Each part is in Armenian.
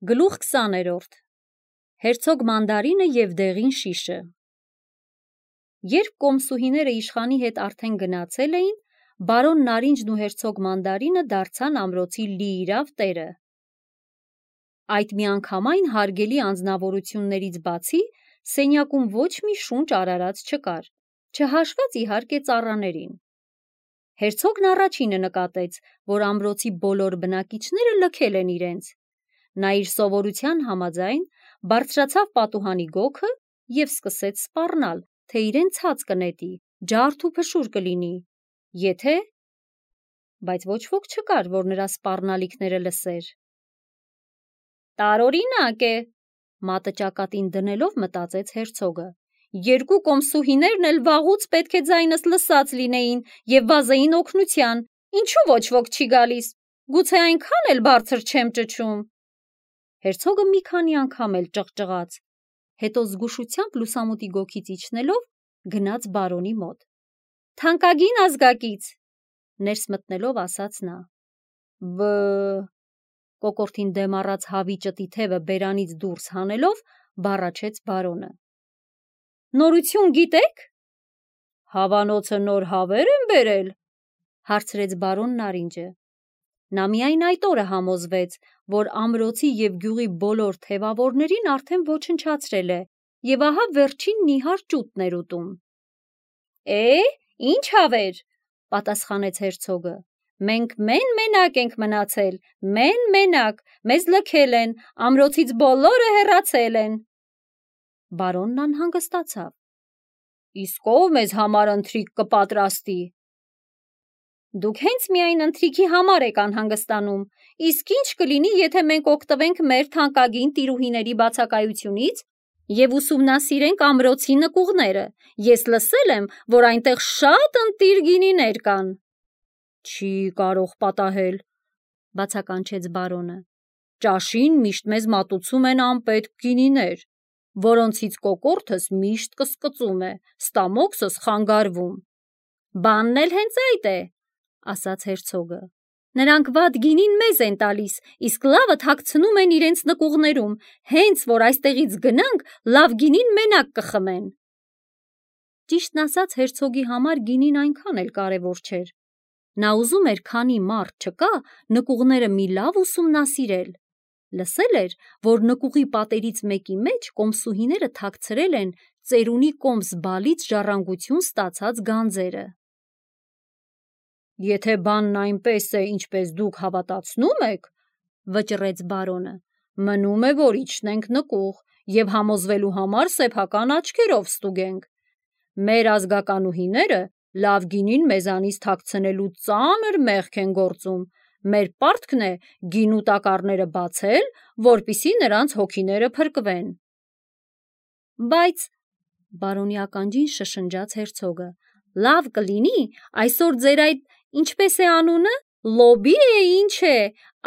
Գլուխ 20-րդ Հերցոգ Մանդարինը և դեղին շիշը։ Երբ կոմսուհիները իշխանի հետ արդեն գնացել էին, բարոն Նարինջն ու հերցոգ Մանդարինը դարձան ամրոցի լիիրավ տերը։ Այդ միանգամայն հարգելի անձնավորություններից բացի սենյակում ոչ մի շունչ արարած չկար, չհաշված իհարկե ծառաներին։ Հերցոգն առաջինը նկատեց, որ ամրոցի բոլոր բնակիչները լքել են իրենց։ Նա իր սովորության համաձայն բարձրացավ պատուհանի գոգը և սկսեց սպառնալ, թե իրեն ցած կնետի, ջարդ ու փշուր կլինի, եթե… Բայց ոչ ոք չկար, որ նրա սպառնալիքները լսեր։ «Տարօրինակ է», մատը ճակատին դնելով մտածեց հերցոգը, «երկու կոմսուհիներն էլ վաղուց պետք է ձայնս լսած լինեին և վազեին օգնության, ինչու ոչ ոք չի գալիս, գուցե այնքան էլ բարձր չեմ ճչում»։ Հերցոգը մի քանի անգամ էլ ճղճղաց, հետո զգուշությամբ լուսամուտի գոգից իջնելով գնաց բարոնի մոտ։ «Թանկագին ազգակից», ներս մտնելով ասաց նա։ Կոկորդին դեմ առած հավի ճտի բերանից դուրս հանելով բառաչեց բարոնը։ «Նորություն գիտեք»։ «Հավանոցը նոր հավե՞ր են բերել», հարցրեց բարոն Նարինջը։ Նա միայն այդ օրը համոզվեց, որ ամրոցի և գյուղի բոլոր թևավորներին արդեն ոչնչացրել է և ահա վերջին նիհար ճուտն էր ուտում։ Ինչ հավեր, պատասխանեց հերցոգը, մենք մեն-մենակ ենք մնացել, մեն-մենակ, մեզ լքել են, ամրոցից բոլորը հեռացել են։ Բարոնն անհանգստացավ։ Իսկ ով մեզ համար ընթրիք կպատրաստի։ Դուք հենց միայն ընթրիքի համար եք անհանգստանում, իսկ ինչ կլինի, եթե մենք օգտվենք մեր թանկագին տիրուհիների բացակայությունից և ուսումնասիրենք ամրոցի նկուղները, ես լսել եմ, որ այնտեղ շատ ընտիր գինիներ կան։ Չի կարող պատահել, բացականչեց բարոնը, ճաշին միշտ մեզ մատուցում են անպետք գինիներ, որոնցից կոկորդս միշտ կսկծում է, ստամոքսս խանգարվում։ Բանն էլ հենց այդ է, ասաց հերցոգը։ Նրանք վատ գինին մեզ են տալիս, իսկ լավը թաքցնում են իրենց նկուղներում, հենց որ այստեղից գնանք, լավ գինին մենակ կխմեն։ Ճիշտն ասած, հերցոգի համար գինին այնքան էլ կարևոր չէր։ Նա ուզում էր, քանի մարդ չկա, նկուղները մի լավ ուսումնասիրել։ Լսել էր, որ նկուղի պատերից մեկի մեջ կոմսուհիները թաքցրել են ծերունի կոմս բալից ժառանգություն ստացած գանձերը։ Եթե բանն այնպես է, ինչպես դուք հավատացնում եք, վճռեց բարոնը, մնում է, որ իջնենք նկուղ և համոզվելու համար սեփական աչքերով ստուգենք։ Մեր ազգականուհիները լավ գինին մեզանից թաքցնելու ծանր մեղք են գործում, մեր պարտքն է գինու տակառները բացել, որպեսզի նրանց հոգիները փրկվեն։ Բայց, բարոնի ականջին շշնջաց հերցոգը, լավ կլինի այսօր ձեր այդ, ինչպես է անունը, լոբի է, ինչ է,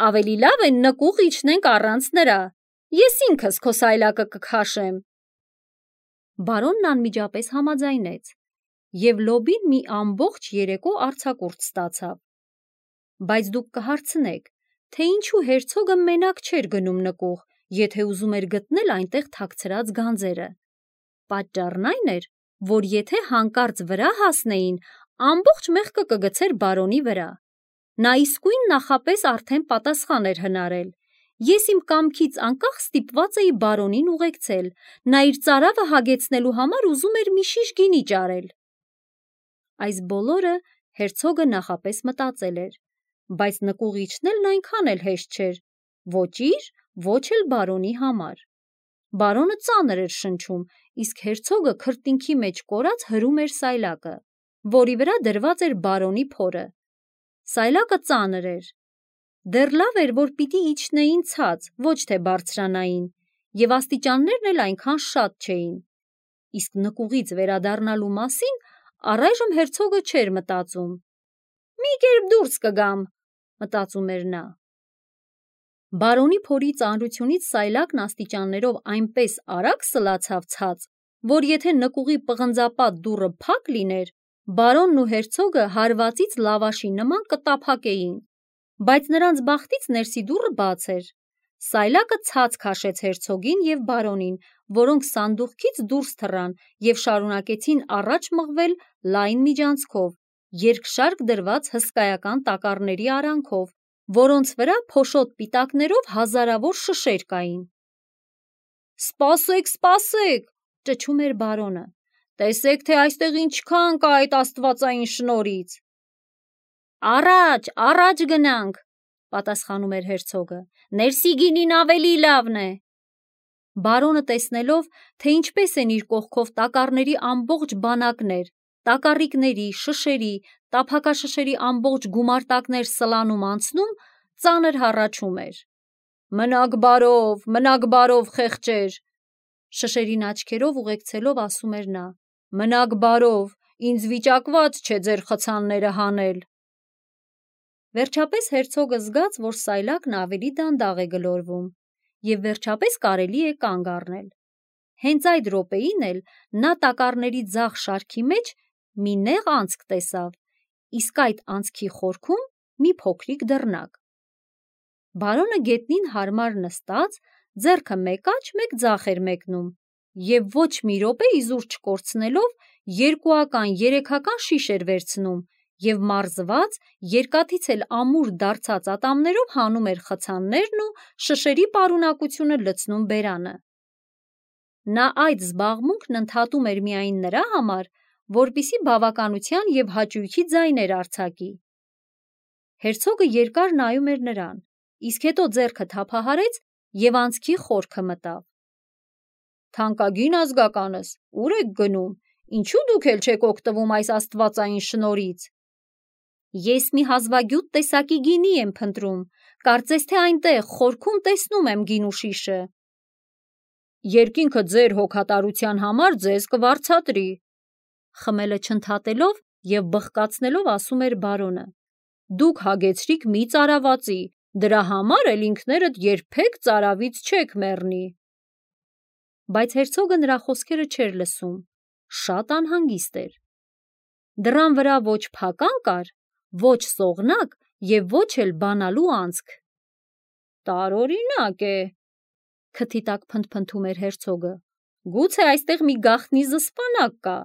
ավելի լավ է նկուղ իջնենք առանց նրա, ես ինքս քո սայլակը կքաշեմ։ Բարոնն անմիջապես համաձայնեց, և լոբին մի ամբողջ երեկո արձակուրդ ստացավ։ Բայց դուք կհարցնեք, թե ինչու հերցոգը մենակ չէր գնում նկուղ, եթե ուզում էր գտնել այնտեղ թաքցրած գանձերը։ Պատճառն այն էր, որ եթե հանկարծ վրա հասնեին, ամբողջ մեղքը կգցեր բարոնի վրա։ Նա իսկույն նախապես արդեն պատասխան էր հնարել։ Ես իմ կամքից անկախ ստիպված էի բարոնին ուղեկցել, նա իր ծարավը հագեցնելու համար ուզում էր մի շիշ գինի ճարել։ Այս բոլորը հերցոգը նախապես մտածել էր, բայց նկուղ իջնելն այնքան էլ հեշտ չէր, ոչ իր, ոչ էլ բարոնի համար։ Բարոնը ծանր էր շնչում, իսկ հերցոգը քրտինքի մեջ կորած հրում էր սայլակը, որի վրա դրված էր բարոնի փորը։ Սայլակը ծանր էր։ Դեռ լավ էր, որ պիտի իջնեին ցած, ոչ թե բարձրանային, և աստիճաններն էլ այնքան շատ չէին։ Իսկ նկուղից վերադառնալու մասին առայժմ հերցոգը չէր մտածում։ Մի կերպ դուրս կգամ, մտածում էր նա։ Բարոնի փորի ծանրությունից սայլակն աստիճաններով այնպես արագ սլացավ ցած, որ եթե նկուղի պղնձապատ դուռը փակ լիներ, բարոնն ու հերցոգը հարվածից լավաշի նման կտափակեին, բայց նրանց բախտից ներսի դուռը բաց էր։ Սայլակը ցած քաշեց հերցոգին և բարոնին, որոնք սանդուղքից դուրս թռան և շարունակեցին առաջ մղվել լայն միջանցքով, երկշարք դրված հսկայական տակառների արանքով, որոնց վրա փոշոտ պիտակներով հազարավոր շշեր կային։ «Սպասեք, սպասեք», ճչում էր բարոնը, «տեսեք, թե այստեղ ինչքան կա այդ աստվածային շնորհից»։ Առաջ գնանք, պատասխանում էր հերցոգը, ներսի գինին ավելի լավն է։ Բարոնը տեսնելով, թե ինչպես են իր կողքով տակառների ամբողջ բանակներ, տակառիկների, շշերի, տափակաշշերի ամբողջ գումարտակներ սլանում անցնում, ծանր հառաչում էր։ Մնաք բարով, խեղճեր, շշերին աչքերով ուղեկցելով ասում էր նա, մնաք բարով, ինձ վիճակված չէ ձեր խցանները հանել։ Վերջապես հերցոգը զգաց, որ սայլակն ավելի դանդաղ է գլորվում, և վերջապես կարելի է կանգ առնել։ Հենց այդ րոպեին էլ նա տակառների ձախ շարքի մեջ մի նեղ անցք տեսավ, իսկ այդ անցքի խորքում մի փոքրիկ դռնակ։ Բարոնը գետնին հարմար նստած, ձեռքը մեկ աջ, մեկ ձախ էր մեկնում, և ոչ մի րոպե իզուր չկորցնելով, երկուական, երեքական շիշ էր վերցնում և մարզված, երկաթից էլ ամուր դարձած ատամներով հանում էր խցաններն ու շշերի պարունակությունը լցնում բերանը։ Նա այդ զբաղմունքն ընդհատում էր միայն նրա համար, որպեսզի բավականության և հաճույքի ձայներ արձակի։ Հերցոգը երկար նայում էր նրան, իսկ հետո ձեռքը թափահարեց և անցքի խորքը մտավ։ Թանկագին ազգականս, ուր եք գնում, ինչու դուք էլ չեք օգտվում այս աստվածային շնորհից։ Ես մի հազվագյուտ տեսակի գինի եմ փնտրում, կարծես թե այնտեղ խորքում տեսնում եմ գինու շիշը։ Երկինքը ձեր հոգատարության համար ձեզ կվարձատրի, խմելը չընդհատելով և բխկացնելով ասում էր բարոնը, դուք հագեցրիք մի ծարավածի, դրա համար էլ ինքներդ երբեք ծարավից չեք մեռնի։ Բայց հերցոգը նրա խոսքերը չէր լսում, շատ անհանգիստ էր։ Դռան վրա ոչ փական կար, ոչ սողնակ և ոչ էլ բանալու անցք։ Տարօրինակ է, քթի տակ փնթփնթում էր հերցոգը, գուցե այստեղ մի գաղտնի զսպանակ կա։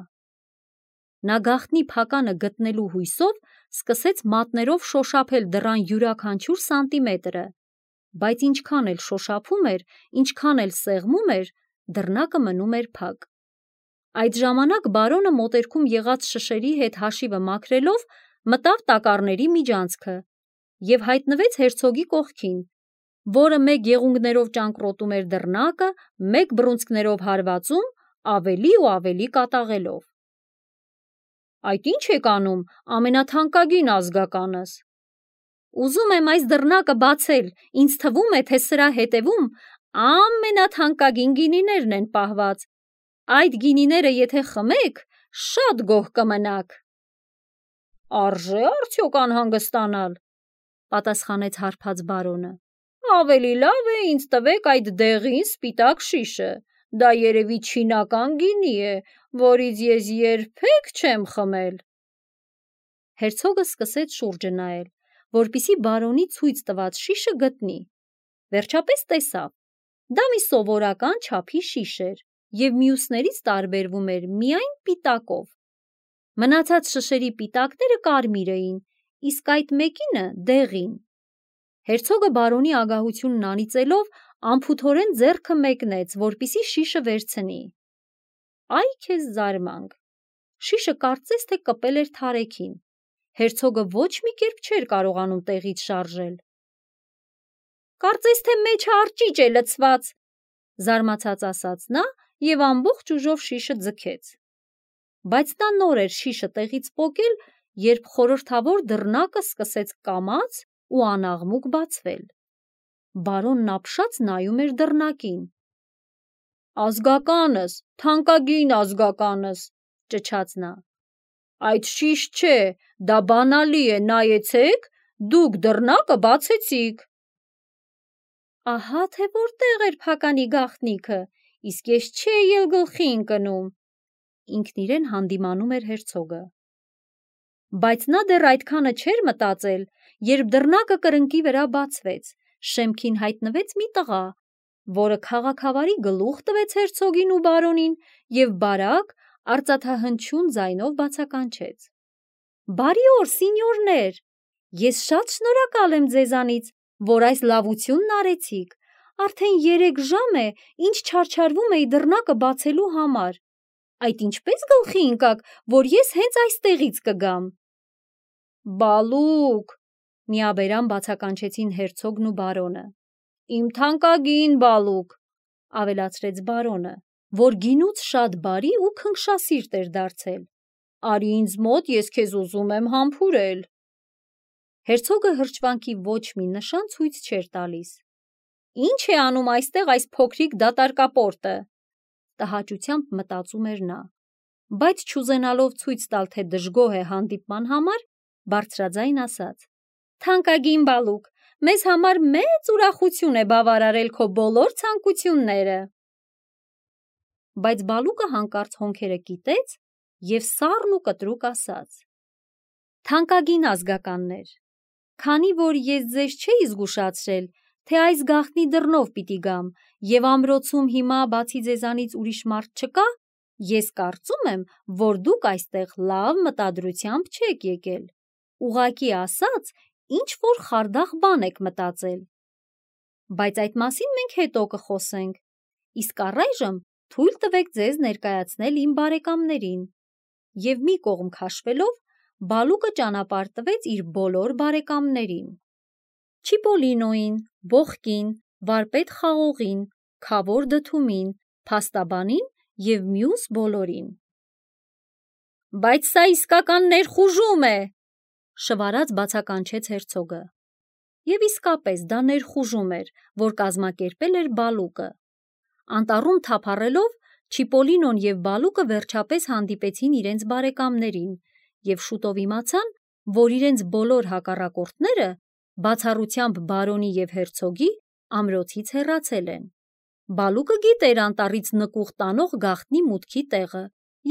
Նա գաղտնի փականը գտնելու հույսով սկսեց մատներով շոշափել դռան յուրաքանչյուր սանտիմետրը, բայց ինչքան էլ շոշափում էր, ինչքան էլ սեղմում էր, դռնակը մնում էր փակ։ Այդ ժամանակ բարոնը մոտերքում եղած շշերի հետ հաշիվը մաքրելով մտավ տակառների միջանցքը և հայտնվեց հերցոգի կողքին, որը մեկ եղունգներով ճանկռոտում էր դռնակը, մեկ բռունցքներով հարվածում, ավելի ու ավելի կատաղելով։ Այդ ի՞նչ եք անում, ամենաթանկագին ազգականս։ Ուզում եմ այս դռնակը բացել, ինձ թվում է, թե սրա հետևում ամենաթանկագին գինիներն են պահված։ Այդ գինիները եթե խմեք, շատ գոհ կմնաք։ Արժե՞ արդյոք անհանգստանալ, պատասխանեց հարբած բարոնը։ Ավելի լավ է ինձ տվեք այդ դեղին սպիտակ շիշը, դա երևի չինական գինի է, որից ես երբեք չեմ խմել։ Հերցոգը սկսեց շուրջը նայել, որպեսզի բարոնի ցույց տված շիշը գտնի։ Վերջապես տեսավ, դա մի սովորական չափի շիշ էր և մյուսներից տարբերվում էր միայն պիտակով։ Մնացած շշերի պիտակները կարմիր էին, իսկ այդ մեկինը դեղին։ Հերցոգը բարոնի ագահությունն անիծելով անփութորեն ձեռքը մեկնեց, որպեսզի շիշը վերցնի։ Այ քեզ զարմանք, շիշը կարծես թե կպել էր թարեքին։ Հերցոգը ոչ մի կերպ չէր կարողանում տեղից շարժել։ Կարծես թե մեջը արճիճ է լցված, զարմացած ասաց նա և ամբողջ ուժով շիշը ձգեց։ Բայց նա նոր էր շիշը տեղից պոկել, երբ խորհրդավոր դռնակը սկսեց կամաց ու անաղմուկ բացվել։ Բարոնն ապշած նայում էր դռնակին։ Ազգականս, թանկագին ազգականս, ճչաց նա, այդ շիշ չէ, դա բանալի է, նայեցեք, դուք դռնակը բացեցիք։ Ահա թե որտեղ էր փականի գաղտնիքը, իսկ ես չէի էլ գլխի ընկնում, ինքն իրեն հանդիմանում էր հերցոգը։ Բայց նա դեռ այդքանը չէր մտածել, երբ դռնակը կրկնակի վրա բացվեց, շեմքին հայտնվեց մի տղա, որը քաղաքավարի գլուխ տվեց հերցոգին ու բարոնին և բարակ, արծաթահնչյուն ձայնով բացականչեց. «Բարի օր, սինյորներ, ես շատ շնորհակալ եմ ձեզանից, որ այս լավությունն արեցիք, արդեն 3 ժամ է, ինչ չարչարվում էի դռնակը բացելու համար, այդ ինչպես գլխի ընկաք, որ ես հենց այստեղից կգամ»։ «Բալուկ», միաբերան բացականչեցին հերցոգն ու բարոնը։ «Իմ թանկագին Բալուկ», ավելացրեց բարոնը, որ գինուց շատ բարի ու քնքշասիրտ էր դարձել, «արի ինձ մոտ, ես քեզ ուզում եմ համբուրել»։ Հերցոգը հրճվանքի ոչ մի նշան ցույց չէր տալիս։ «Ինչ է անում այստեղ այս փոքրիկ դատարկապորտը», տհաճությամբ մտածում էր նա, բայց չուզենալով ցույց տալ, թե դժգոհ է հանդիպման համար, բարձրաձայն ասաց. «Թանկագին Բալուկ, մեզ համար մեծ ուրախություն է բավարարել քո բոլոր ցանկությունները»։ Բայց Բալուկը հանկարծ հոնքերը կիտեց և սառն ու կտրուկ ասաց. «Թանկագին ազգականներ, քանի որ ես ձեզ չէի զգուշացրել, թե այս գաղտնի դռնով պիտի գամ և ամրոցում հիմա բացի ձեզանից ուրիշ մարդ չկա, ես կարծում եմ, որ դուք այստեղ լավ մտադրությամբ չեք եկել, ուղղակի ասած, ինչ-որ խարդախ բան եք մտածել։ Բայց այդ մասին մենք հետո կխոսենք, իսկ առայժմ թույլ տվեք ձեզ ներկայացնել իմ բարեկամներին»։ Եվ մի կողմ քաշվելով, Բալուկը ճանապարհ տվեց իր բոլոր բարեկամներին. Չիպոլինոին, ողկին, վարպետ Խաղողին, քավոր Դդումին, փաստաբանին և մյուս բոլորին։ «Բայց սա իսկական ներխուժում է», շվարած բացականչեց հերցոգը։ Եվ իսկապես դա ներխուժում էր, որ կազմակերպել էր Բալուկը։ Անտառում թափառելով, Չիպոլինոն և Բալուկը վերջապես հանդիպեցին իրենց բարեկամներին և շուտով իմացան, որ իրենց բոլոր հակառակորդները, բացառությամբ բարոնի և հերցոգի, ամրոցից հեռացել են։ Բալուկը գիտեր անտառից նկուղ տանող գաղտնի մուտքի տեղը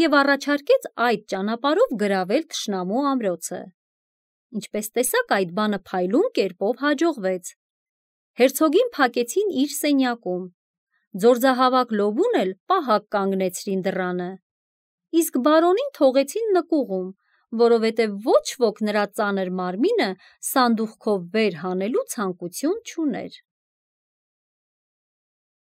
և առաջարկեց այդ ճանապարհով գրավել թշնամու ամրոցը։ Ինչպես տեսաք, այդ բանը փայլուն կերպով հաջողվեց։ Հերցոգին փակեցին իր սենյակում, ձորձահավաք Լոբուն էլ պահակ կանգնեցրին դռանը, իսկ բարոնին թողեցին նկուղում, որովհետև ոչ ոք նրա ծանր մարմինը սանդուղքով վեր հանելու ցանկություն չուներ։